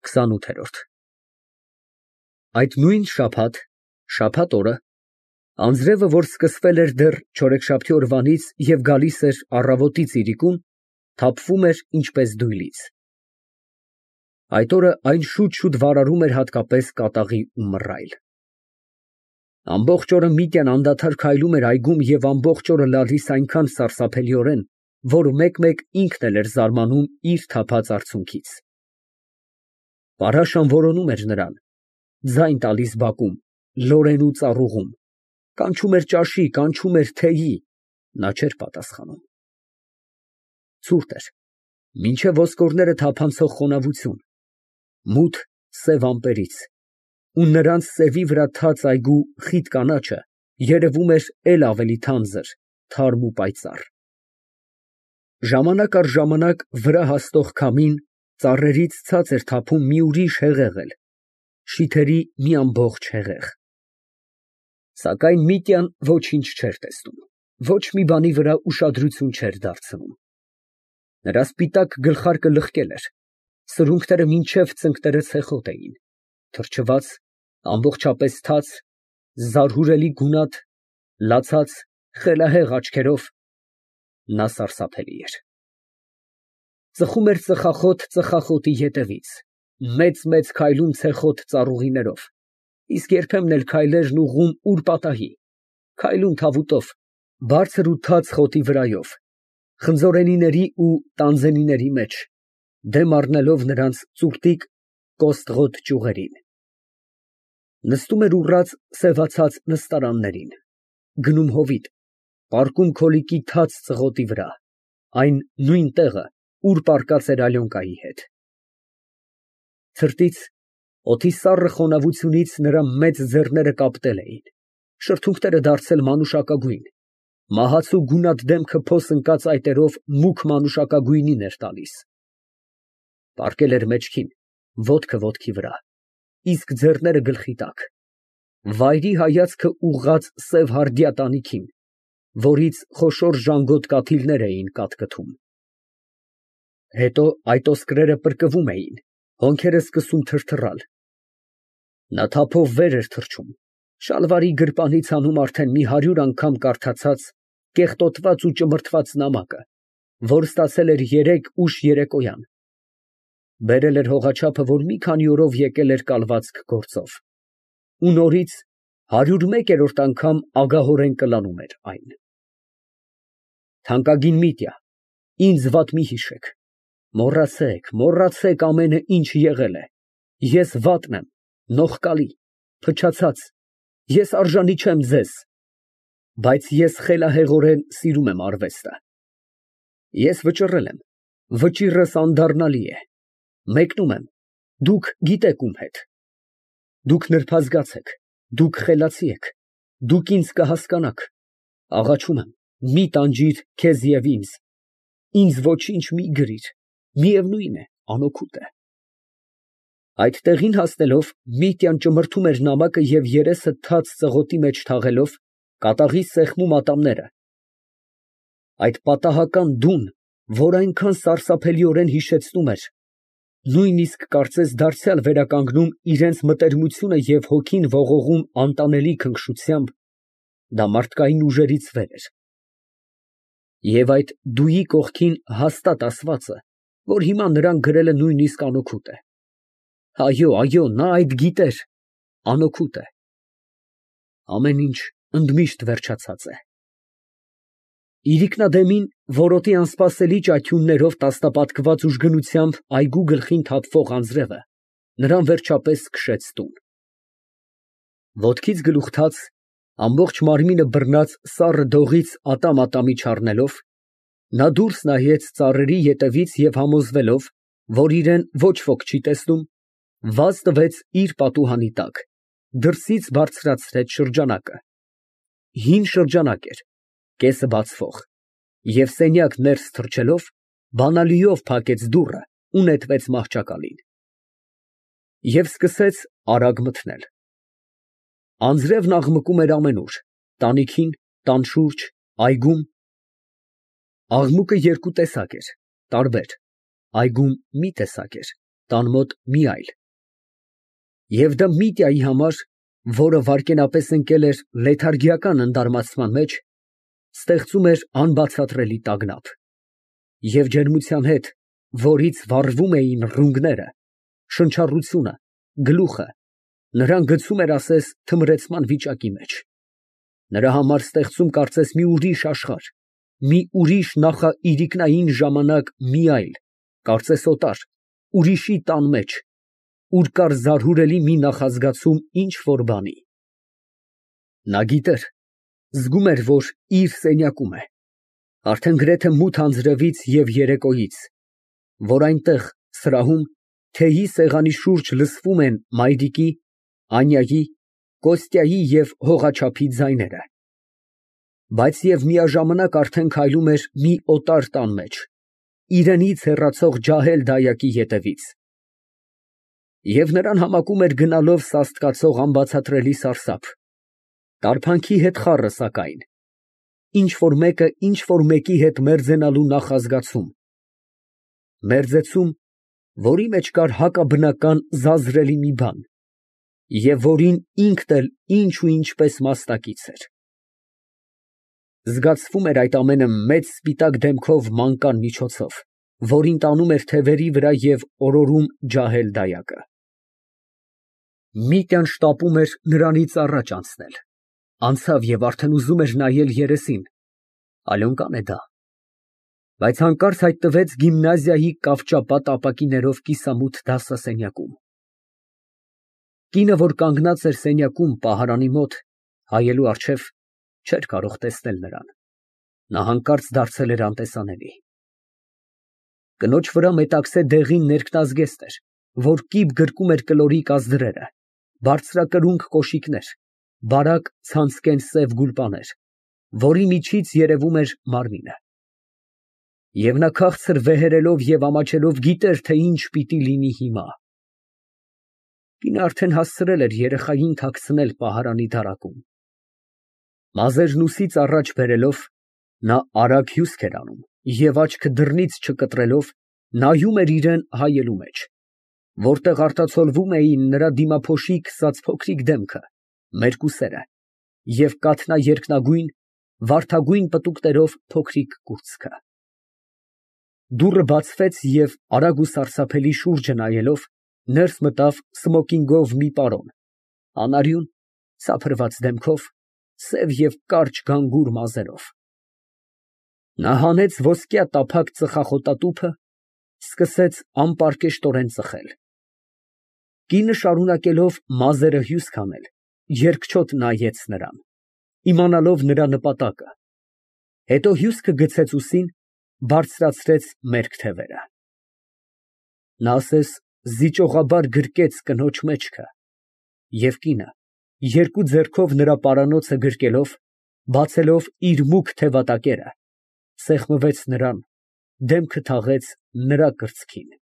28։ Այդ նույն շաբաթ օրը, անձրևը, որ սկսվել էր դեռ չորեքշաբթի օրվանից և գալիս էր առավոտից իրիկուն, թափվում էր ինչպես դույլից։ Այդ օրը այն շուտ վարարում էր հատկապես կատաղի ու մռայլ։ Ամբողջ օրը Միտյան անդադար քայլում էր այգում և ամբողջ օրը լալիս այնքան սարսափելիորեն, որ մեկ֊մեկ ինքն էլ էր զարմանում իր թափած արցունքից։ Փարաշան որոնում էր նրան, ձայն տալիս բակում, լորեն ու ծառուղում, կանչում էր ճաշի, կանչում էր թեյի, նա չէր պատասխանում։ Ցուրտ էր, մինչև ոսկորները թափանցող խոնավություն, մութ սև ամպերից, ու նրանց սևի վրա թաց այգու խիտ կանաչը երևում էր էլ ավելի թանձր, թարմ ու պայծառ։ Ժամանակ առ ժամանակ վրա հասնող քամին ծառերից ցած էր թափում մի ուրիշ հեղեղ, շիթերի մի ամբողջ հեղեղ։ Սակայն Միտյան ոչինչ չէր տեսնում, ոչ մի բանի վրա ուշադրություն չէր դարձնում։ Նրա սպիտակ գլխարկը լղկել էր, սրունքները մինչև ծնկները ցեխոտ էին, թրջված, ամբողջապես թաց, զարհուրելի գունատ, լացած, խելահեղ աչքերով, նա սարսափելի էր։ Ծխում էր ծխախոտ ետևից, մեծ քայլում ցեխոտ ծառուղիներով, իսկ երբեմն էլ քայլերն ուղղում ուր֊պատահի, քայլում թավուտով, բարձր ու թաց խոտի վրայով, խնձորենիների ու տանձենիների մեջ, դեմ առնելով նրանց ծուռտիկ կոստղոտ ճյուղերին։ Նստում էր ուռած սևացած նստարաններին, գնում հովիտ, պառկում քոլիկի թաց ծղոտի վրա, այն նույն տեղը, ուր պառկած էր Ալյոնկայի հետ։ Ցրտից, օդի սառը խոնավությունից նրա մեծ ձեռները կապտել էին, շրթունքները դարձել մանուշակագույն, մահացու գունատ դեմքը փոս ընկած այտերով մուգ մանուշակագույնին էր տալիս։ Պառկել էր մեջքին, ոտքը ոտքի վրա, իսկ ձեռները գլխի տակ, վայրի հայացքը ուղղած սև հարդյա տանիքին, որից խոշոր ժանգոտ կաթիլներ էին կաթկթում։ Հետո այդ ոսկրերը պրկվում էին, հոնքերը սկսում թրթռալ։ Նա թափով վեր էր թռչում, շալվարի գրպանից հանում արդեն մի 100 անգամ կարդացած, կեղտոտված ու ճմրթված նամակը, որ ստացել էր երեկ ուշ երեկոյան, բերել էր հողաչափը, որ մի քանի օրով եկել էր կալվածք գործով, ու նորից 101-րդ անգամ ագահորեն կլանում էր այն։ Թանկագին Միտյա, ինձ վատ մի հիշեք, մոռացեք ամենը, ինչ եղել է, ես վատն եմ, նողկալի, փչացած, ես արժանի չեմ ձեզ, բայց ես խելահեղորեն սիրում եմ արվեստը։ Ես վճռել եմ, վճիռս անդառնալի է, մեկնում եմ, դուք գիտեք ում հետ։ Դուք նրբազգաց եք, դուք խելացի եք, դուք ինձ կհասկանաք, աղաչում եմ, մի տանջիր քեզ և ինձ ոչինչ մի գրիր, միևնույն է, անօգուտ է։ Այդ տեղին հասնելով, Միտյան ճմրթում էր նամակը և երեսը թաց ծղոտի մեջ թաղելով, կատաղի սեղմում ատամները։ Այդ պատահական դուն, որ այնքան սարսափելիորեն հիշեցնում էր, նույնիսկ կարծես դարձյալ վերականգնում իրենց մտերմությունը և հոգին ողողում անտանելի քնքշությամբ, դա մարդկային ուժերից վեր էր։ Եվ այդ դուի կողքին հաստատ ասվածը, որ հիմա նրան գրել է նույնիսկ անօգուտ է։ Այո, նա այդ գիտեր, անօգուտ է։ Ամեն ինչ ընդմիշտ վերջացած է։ Իրիկնադեմին որոտի անսպասելի ճաչյուններով տասնապատկված ուժգնությամբ այգու գլխին թափվող անձրևը նրան վերջապես քշեց տուն։ Ոտքից գլուխ թաց, ամբողջ մարմինը բռնած սառը դողից ատամ չառնելով, նա դուրս նայեց ծառերի ետևից և համոզվելով, որ իրան ոչ ոք չի տեսնում, վազ տվեց իր պատուհանի տակ, դրսից բարձրացրեց շրջանակը։ Հին շրջանակ էր, կեսը բացվող, և սենյակ ներս թռչելով, բանալիով փակեց դուռը ու նետվեց մահճակալին։ Եվ սկսեց արագ մթնել։ Անձրևն աղմկում էր ամենուր, տանիքին, տան շուրջ, այգում։ Աղմուկը երկու տեսակ էր, տարբեր, այգում մի տեսակ էր, տան մոտ մի այլ։ Եվ դա Միտյայի համար, որը վայրկենապես ընկել էր լեթարգիական ընդարմացման մեջ, ստեղծում էր անբացատրելի տագնապ։ Եվ ջերմության հետ, որից վառվում էին ռունգները, շնչառությունը, գլուխը, նրան գցում էր ասես թմրեցման վիճակի մեջ։ Նրա համար ստեղծում կարծես մի ուրիշ աշխարհ, մի ուրիշ նախաիրիկնային ժամանակ մի այլ, կարծես օտար, ուրիշի տան մեջ, ուր կար զարհուրելի մի նախազգացում ինչ֊որ բանի։ Նա գիտեր, զգում էր, որ իր սենյակում է, արդեն գրեթե մութ անձրևից և երեկոյից, որ այնտեղ, սրահում, թեյի սեղանի շուրջ լսվում են մայրիկի, Անյայի, Կոստյայի և հողաչափի ձայները, բայց և միաժամանակ արդեն քայլում էր մի օտար տան մեջ, իրենից հեռացող ջահել դայակի ետևից։ Եվ նրան համակում էր գնալով սաստկացող անբացատրելի սարսափ, տարփանքի հետ խառը սակայն, ինչ֊որ մեկը ինչ֊որ մեկի հետ մերձենալու նախազգացում, մերձեցում, որի մեջ կար հակաբնական զազրելի մի բան, և որին ինքն էլ ինչ ու ինչպես մասնակից էր։ Զգացվում էր այդ ամենը մեծ սպիտակ դեմքով մանկան միջոցով, որին տանում էր թևերի վրա և օրորում ջահել դայակը։ Միտյան շտապում էր նրանից առաջ անցնել, անցավ և արդեն ուզում էր նայել երեսին, Ալյոնկան է դա, բայց հանկարծ հայտնվեց գիմնազիայի կավճապատ ապակիներով կիսամութ դասասենյակում։ Կինը, որ կանգնած էր սենյակում պահարանի մոտ, հայելու առջև, չէր կարող տեսնել նրան, նա հանկարծ դարձել էր անտեսանելի։ Կնոջ վրա մետաքսե դեղին ներքնազգեստ էր, որ կիպ գրկում էր կլորի կազդրերը, բարձրակրունկ կոշիկներ, բարակ ցանցկեն սև գուլպաներ, որի միջից երևում էր մարմինը։ Եվ նա քաղցր վեհերելով և ամաչելով գիտեր, թե ինչ պիտի լինի հիմա։ Կինը արդեն հասցրել էր երեխային թաքցնել պահարանի դարակում։ Մազերն ուսից առաջ բերելով, նա արագ հյուսք էր անում և աչքը դռնից չկտրելով, նայում էր իրան հայելու մեջ, որտեղ արտացոլվում էին նրա դիմափոշի քսած փոքրիկ դեմքը, մերկուսերը և կաթնաերկնագույն, վարդագույն պտուկներով փոքրիկ կուրծքը։ Դուռը բացվեց և, արագ ու սարսափելի շուրջը նայելով, ներս մտավ սմոքինգով մի պարոն, անարյուն, սափրված դեմքով, սև և կարճ գանգուր մազերով։ Նա հանեց ոսկյա տափակ ծխախոտատուփը, սկսեց անպարկեշտորեն ծխել։ Կինը շարունակելով մազերը հյուսք հանել, երկչոտ նայեց նրան, իմանալով նրա նպատակը, հետո հյուսքը գցեց ուսին, բարձրացրեց մերկ թևերը։ Նա ասես զիջողաբար գրկեց կնոջ մեջքը, և կինը, երկու ձեռքով նրա պարանոցը գրկելով, բացելով իր մուգ թևատակերը, սեղմվեց նրան, դեմքը թաղեց նրա կրծքին։